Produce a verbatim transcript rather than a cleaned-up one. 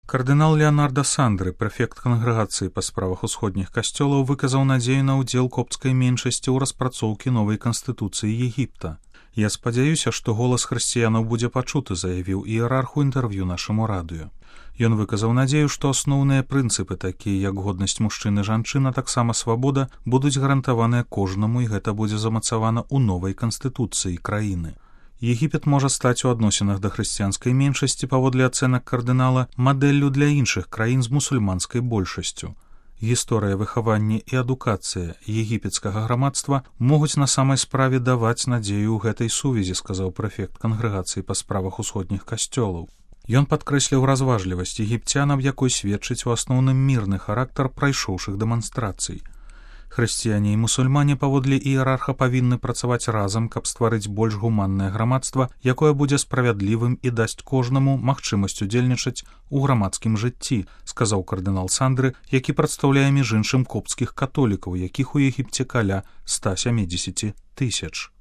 Кардынал Леонардо Сандры, прэфект кангрэгацыі па справах усходніх касцёлаў, выказаў надзею на ўдзел копцкай меншасці ў распрацоўкі новай канстытуцыі Егіпта. «Я спадзяюся, што голас хрысціянаў будзе пачуты», заявіў іерарх у інтэрв'ю нашаму радыё. Ён выказаў надзею, што асноўныя прынцыпы, такія як годнасць мужчын і жанчын, а таксама свабода, будуць гарантаваныя кожнаму, і гэта будзе замацавана ў новай канстытуцыі краіны. Егіпет можа стаць у адносінах да хрысціянскай меншасці, паводле ацэнак кардынала, мадэллю для іншых краін з мусульманскай большасцю. Гісторыя выхавання і адукацыя егіпецкага грамадства могуць на самай справе даваць надзею ў гэтай сувязі, сказаў прэфект кангрэгацыі па справах усходніх касцёлаў. Ён падкрэсліў разважлівасць егіпцян, аб якой сведчыць у асноўным мірны характар прайшоўшых дэманстрацый. Хрысціяне і мусульмане паводле іерарха павінны працаваць разам, каб стварыць больш гуманнае грамадства, якое будзе справядлівым і дасць кожнаму магчымасць удзельнічаць у грамадскім жыцці, сказаў кардынал Сандры, які прадстаўляе між іншым копцкіх католікаў, якіх у Егіпце каля ста сямдзесят тысяч.